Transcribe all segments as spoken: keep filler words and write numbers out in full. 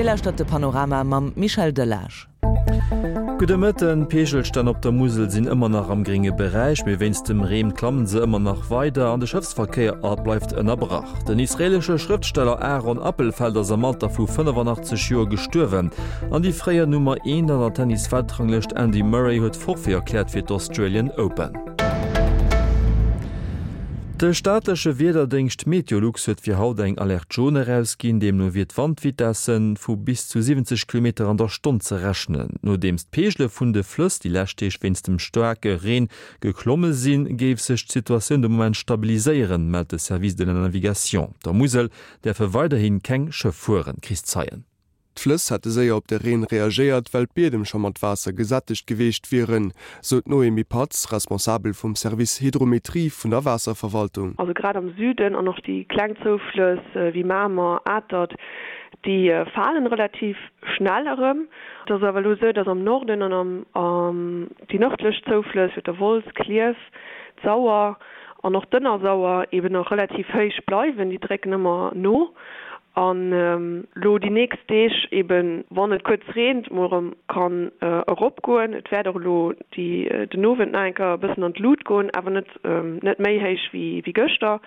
Dir lauschtert de Panorama mam Michel Delage. Gudde Mëtten, D'Peegelstänn op der Musel sinn ëmmer nach am grénge Beräich, mee wéinst dem Reen klammen se ëmmer nach weider an de Schëffsverkéier bleift ënnerbrach. Den israeelesche Schrëftsteller Aaron Appelfeld ass am Alter vu fënnefannachtzeg Joer gestuerwen. An déi fréier Nummer eent an der Tennis-Weltranglëscht Andy Murray huet Forfait erkläert fir d'Australian Open. De staatleche Wiederdéngscht Meteolux huet fir haut eng Alerte jaune erausginn. Deemno wier d'Wandvitesse vu bis zu siwwenzeg Kilometer an der Stonn ze rechnen. Nodeems d'Peegele vun de Flëss déi lescht Deeg wéinst dem staarke Reen geklomme sinn, géif sech d'Situatioun de Moment stabiliséieren, mellt de Service de la Navigation. Der Musel däerfe weiderhi keng Schëff fueren. Chris Zeien. D'Flëss hätte séier op de Reen reagéiert, well d'Biedem scho mat Waasser gesättegt geweecht wieren, sou d'Noémie Patz, Responsabel vum Service Hydrométrie vun der Waasserverwaltung. Also grad am Süden an och déi kleng Zouflëss wéi Mamer, Atert, déi falen relativ schnell erëm. Et ass awer elo esou, datt am Norden an am déi nërdlech Zouflëss, wéi der Wolz, Klierf, d'Sauer an och d'Ënnersauer eben nach relativ héich bleiwen, déi drécken ëmmer no. An elo déi nächst Deeg eben, wann et kuerz reent, mol erëm kann eropgoen. Et wäert och elo déi den Owend nach eng Kéier e bëssen an d'Lut goen, awer net net méi héich wéi wéi gëschter.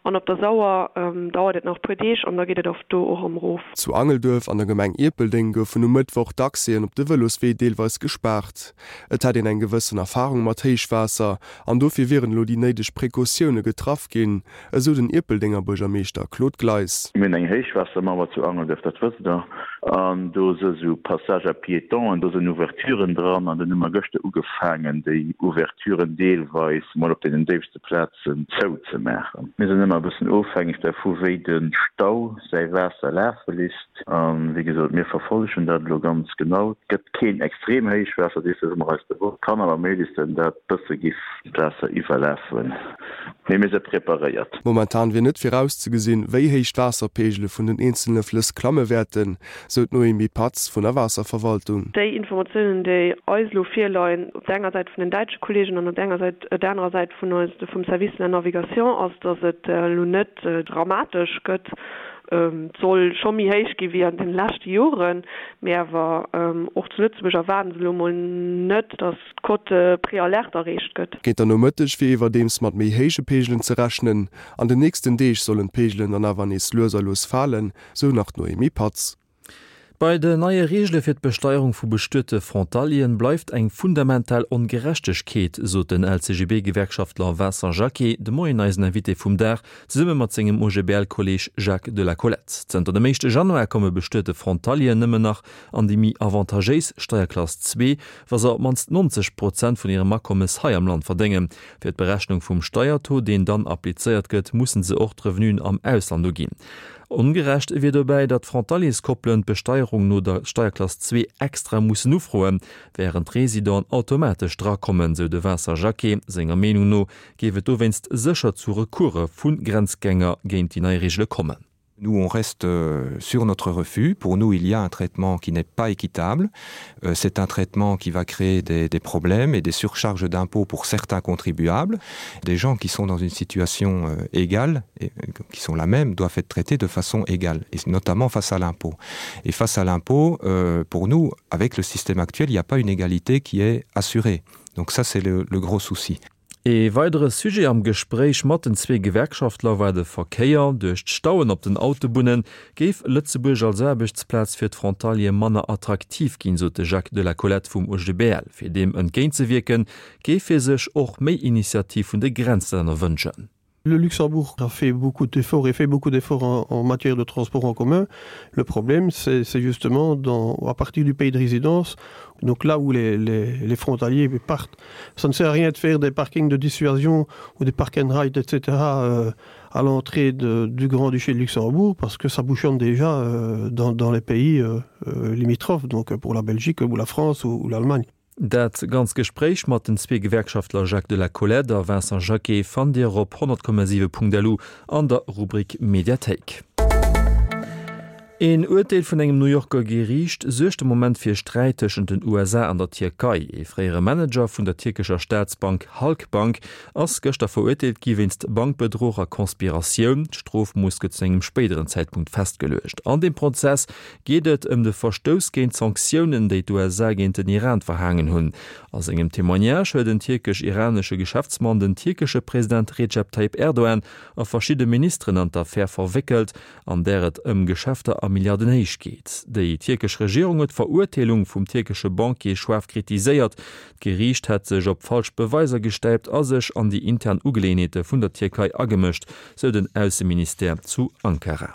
An op der Sauer dauert et nach e puer Deeg an da geet et och do och erëm erof. Zu Angelduerf an der Gemeng Ierpeldeng goufen um Mëttwoch d'Accèsen op de Vëloswee deelweis gespaart. Et hätt een eng gewëssen Erfarung mat Héichwaasser an dofir wieren elo déi néideg Precautioune getraff ginn, esou den Ierpeldenger Buergermeeschter Claude Gleis. Mir hunn eng Héichwaassermauer zu Angelduerf, dat wësst Der, an do si sou Passages à piétons, do sinn Ouverturen dran an dunn hu mer gëschter ugefaangen, déi Ouverturen deelweis mol op deenen déifste Plazen zouzemaachen. Mir sinn ëmmer e bëssen ofhängeg dervu wéi de Stau säi Waasser lafe lisst. A wéi gesot, mir verfollegen dat elo ganz genau. Et gëtt keen extrem Héichwaasser, dees si mer eis bewosst. Kann awer méiglech sinn, dat bësse giff d'Waasser iwwerlafen, mee mir si preparéiert. Momentan wier net virauszegesinn, wéi héich d'Waasserpeegele vun den eenzele Flëss klamme wäerten, sou d'Noémie Patz vun der Waasserverwaltung. Déi Informatiounen, déi eis elo virleien, op der enger Säit vun den däitsche Kolleegen an op der enger Säit, der anerer Säit vun eis, vum Service de la Navigation, ass, datt et elo net dramatesch gëtt. Et soll scho méi héich gi wéi an den leschte Joren, mee awer och zu Lëtzebuerg erwaarden se elo mol net, datt d'Cote préalerte erreecht gëtt. Géint der Nomëtteg wier iwwerdeems mat méi héije Peegelen ze rechnen. An den nächsten Deeg sollen d'Peegelen dann awer nees lues a lues falen, sou nach d'Noémie Patz. Bei den neie Reegele fir d'Besteierung vu bestuete Frontalieren bleift eng fundamental Ongerechtegkeet, sot den L C G B-Gewerkschaftler Vincent Jacquet de Moien eisen Invité vum Dag, zesumme mat sengem O G B L-Kolleeg Jacques de la Collette. Zënter dem éischte Januar komme bestuete Frontalieren nëmmen nach an déi méi avantagéis Steierklass zwee, wa se op d'mannst neunzeg Prozent vun hirem Akommes hei am Land verdéngen. Fir d'Berechnung vum Steiertaux, deen dann applizéiert gëtt, mussen se och d'Revenuen am Ausland uginn. Ongerecht wier dobäi, datt Frontalierskoppelen d'Besteierung no der Steierklass zwee extra mussen ufroen, wärend d'Residenten automatesch drakommen, sou de Vincent Jacquet. Senger Meenung no géif et dowéinst sécher zu Recourse vu Grenzgänger géint déi nei Reegele kommen. Nous, on reste sur notre refus. Pour nous, il y a un traitement qui n'est pas équitable. C'est un traitement qui va créer des, des problèmes et des surcharges d'impôts pour certains contribuables. Des gens qui sont dans une situation égale, et qui sont la même, doivent être traités de façon égale, et notamment face à l'impôt. Et face à l'impôt, euh, pour nous, avec le système actuel, il n'y a pas une égalité qui est assurée. Donc ça, c'est le, le gros souci. Ee weidere Sujet am Gespréich mat den zwee Gewerkschaftler war de Verkéier. Duerch d'Stauen op den Autobunne géif Lëtzebuerg als Aarbechtsplaz fir d'Frontaliere manner attraktiv ginn, sot de Jacques de la Collette vum O G B L. Fir deem entgéintzewierken, géif hie sech och méi Initiativ vun de Grenzlänner wënschen. Le Luxembourg a fait beaucoup d'efforts et fait beaucoup d'efforts en, en matière de transport en commun. Le problème, c'est justement dans, à partir du pays de résidence, donc là où les, les, les frontaliers partent. Ça ne sert à rien de faire des parkings de dissuasion ou des park and ride, et cetera, euh, à l'entrée de, du Grand-Duché de Luxembourg, parce que ça bouchonne déjà, euh, dans, dans les pays, euh, euh, limitrophes, donc pour la Belgique ou la France ou, ou l'Allemagne. Dat ganz Gespréich mat den zwee Gewerkschaftler Jacques de la Collette a Vincent Jacquet fannt Dir op honnert Komma siwe Punkt L U an der Rubrik Mediathéik. Een Urteel vun engem New Yorker Geriicht suergt de Moment fir Sträit tëschent den U S A an der Tierkei. Ee fréiere Manager vun der tierkescher Staatsbank Halkbank ass gëschter verurteelt gi wéinst Bankbedruch a Konspiratioun. D'Strofmooss gëtt zu engem spéideren Zäitpunkt festgeluecht. An deem Prozess geet et ëm de Verstouss géint Sanktiounen, déi d'U S A géint den Iran verhaangen hunn. A sengem Témoignage huet den tierkesch-iranesche Geschäftsmann den tierkesche President Recep Tayyip Erdogan a verschidde Ministeren an d'Affär verwéckelt, an där et ëm Geschäfter a Milliardenhéicht geet. Déi tierkesch Regierung huet d'Verurteelung vum tierkesche Banquier schaarf kritiséiert. D'Geriicht hätt sech op falsch Beweiser gestäipt a sech an déi intern Ugeleeënheete vun der Tierkei agemëscht, sou den Ausseministère zu Ankara.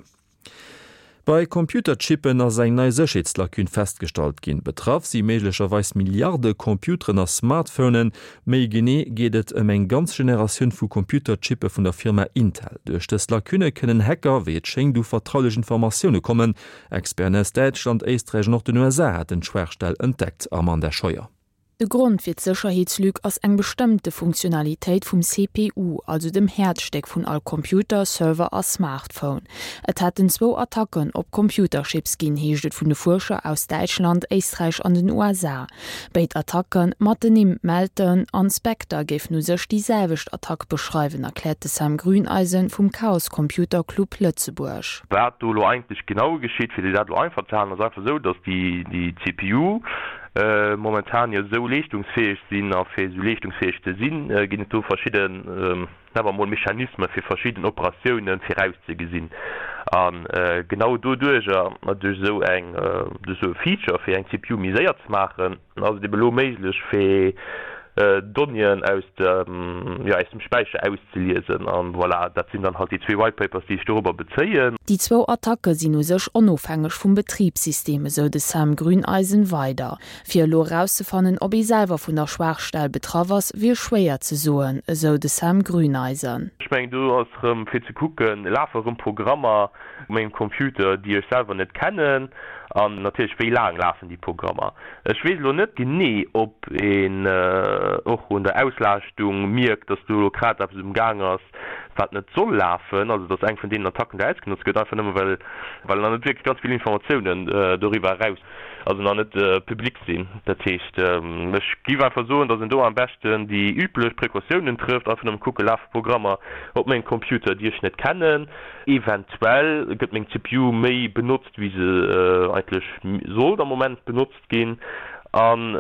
Bei Computerchippen ass eng nei Sécherheetslacune festgestallt ginn. Betraff si méiglecherweis Milliarde Computeren a Smartphonen. Méi genee geet et ëm eng ganz Generatioun vu Computerchippe vun der Firma Intel. Duerch dës Lacune kënnen Hacker, wéi et schéngt, u vertraulech Informatioune kommen. Experten aus Däitschland, Éisträich an och den U S A haten d'Schwaachstell entdeckt. Amanda Scheuer. De Grond fir d'Sécherheetslück ass eng bestëmmte Funktionalitéit vum C P U, also dem Häerzstéck vun all Computer, Server a Smartphone. Et hätten zwou Attacken op Computerchips ginn, heescht et vun de Fuerscher aus Däitschland, Éisträich an den U S A. Béid Attacken mat den Nimm Meltdown an Spectre géifen u sech déi selwecht Attack beschreiwen, erkläert de Sam Grüneisen vum Chaos Computer Club Lëtzebuerg. Wat do lo eigentlech genau geschitt, fir déi dat lo einfach ze halen, ass einfach sou, datt déi, déi C P U momentan jo sou leeschtungsfäeg sinn a fir sou leeschtungsfäeg ze sinn, ginn et do verschidden, nennen wir mol Mechanismen fir verschidden Operatiounen virauszegesinn. An genau doduerch, duerch sou eng, duerch sou e Feature fir eng C P U méi séier ze maachen, ass et eben elo méiglech fir Donnéeën aus dem, ja, aus dem Späicher auszeliesen. An voilà, dat sinn dann halt déi zwee White Papers, déi ech dorobber bezéien. Déi zwou Attacke sinn u sech onofhängeg vum Betriebssystem, esou de Sam Grüneisen weider. Fir elo erauszefannen, ob ee selwer vun der Schwaachstell betraff ass, wier schwéier ze soen, esou de Sam Grüneisen. Ech mengen, do ass erëm fir ze kucken, lafe erëm Programmer op mengem Computer, déi ech selwer net kennen, an natierlech wéi laang lafen déi Programmer. Ech weess elo net genee, ob een och un der Auslaaschtung mierkt, dass do grad eppes um Gang ass, wat net soll lafen, also dass eng vun deenen Attacken da ausgenutzt gëtt, einfach nëmme well, well nach net wierklech ganz vill Informatiounen doriwwer eraus, also nach net publik sinn. Dat heescht, ech géif einfach soen, dass een do am beschten déi üblech Precautiounen trëfft, einfach nëmme kucke, lafe Programmer op mengem Computer, déi ech net kennen. Eventuell gëtt meng C P U méi benotzt, wéi se eigentlech sollt am Moment benotzt ginn. An,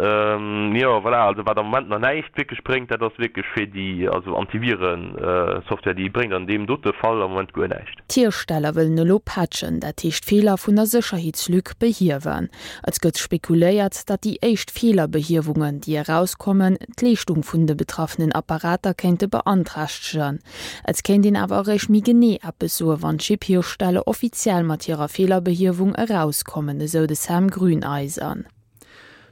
jo, voilà, also wat am Moment nach näischt wierklech bréngt, dat ass wierklech fir déi, also Antiviren-Software, déi bréngt an deem dote Fall am Moment guer näischt. D'Hiersteller wëllen elo patchen, dat heescht Feeler vun der Sécherheetslück behiewen. Et gëtt spekuléiert, datt déi éischt Feelerbehiewungen, déi erauskommen, d'Leeschtung vun de betraffenen Apparater kéinte beanträchtegen. Et kéint een awer eréischt méi genee eppes soen, wann d'Chip-Hiersteller offiziell mat hirer Feelerbehiewung erauskommen, esou de Sam Grüneisen.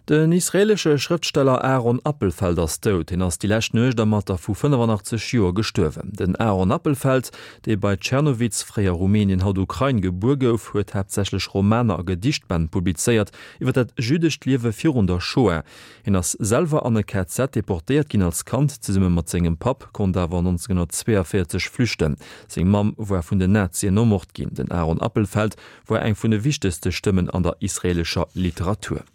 Den israelesche Schrëftsteller Aaron Appelfeld ass dout. Hien ass déi lescht Nuecht am Alter vu fënnefenachtzeg Joer gestuerwen. Den Aaron Appelfeld, dee bei Tschernowitz, fréier Rumänien, haut Ukrain, gebuer gouf, huet haaptsächlech Romaner a Gedichtbänn publizéiert iwwer dat jüdescht Liewe virun der Shoah. Hien ass selwer an e K Z deportéiert ginn als Kand, zesumme mat sengem Papp, konnt awer neunzehnhundertzweiundvierzeg flüchten. Seng Mamm war vun den Nazien ermort ginn. Den Aaron Appelfeld war eng vun de wichtegste Stëmmen an der israelescher Literatur.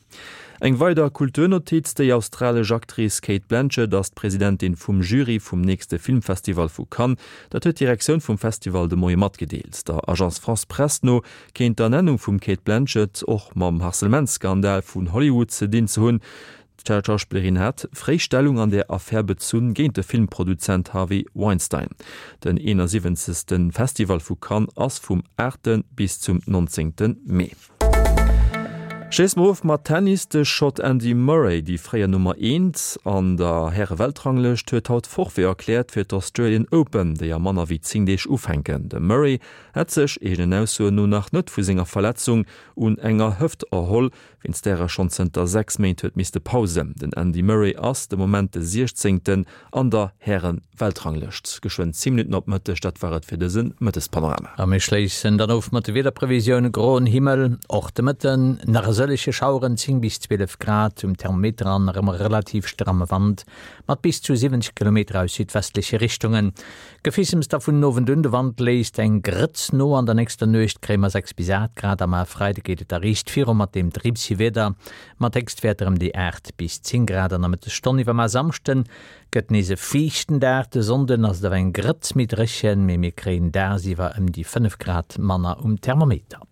Eng weider Kulturnotiz, déi australesch Actrice Cate Blanchett ass d'Presidentin vum Jury vum nächste Filmfestival vu Cannes. Dat huet d'Direktioun vum Festival de Moie matgedeelt. Der Agence France Presse no kéint d'Ernennung vum Cate Blanchett och mam Harcèlementsskandal vun Hollywood ze dinn ze hunn. D'Schauspielerin hat fréi Stellung an der Affär bezunn géint de Filmproduzent Harvey Weinstein. Den einundsiebzigsten Festival vu Cannes ass vum achten bis zum neunzehnten Mee. Schéiss mer of mat Tennis, de Schott Andy Murray, déi fréier Nummer eent an der Herre-Weltranglëscht, huet haut Forfait erkläert fir d'Australian Open, déi a manner wéi zéng Deeg ufänken. De Murray hat sech eegenen Aussoen no nach net vu senger Verletzung un enger Hëft erholl, wéinst där er schonn zënter sechs Méint huet misste pausen. Den Andy Murray ass de Moment de siechzehnten an der Herren-Weltranglëscht. Geschwënn zéng Minutten op Mëtteg, dat war et fir dëse Mëttespanorama. A mir schléissen dann of mat de Wiederprevisioun. Groen Himmel, och de Mëtten, nach esou sëllege Schaueren, zéng bis zwielef Grad um Thermometer an erëm relativ stramme Wand mat bis zu siwwenzeg Kilometer aus südwestleche Richtungen. Gefissems da vun den Owend un, de Wand léisst eng Grëtz no. An der nächster Nuecht kréie mer sechs bis aacht Grad am e Freide geet et da riicht viru mat deem dribsi Wieder mat Héchstwäerter ëm déi aacht bis zéng Grad an der Mëttesstonn. Iwwer mar Samschden gëtt nees e fiichten Dag, de Sonnden ass et awer eng Grëtz méi dréchen, mee mir kréien dagsiwwer ëm déi fënnef Grad manner um Thermometer.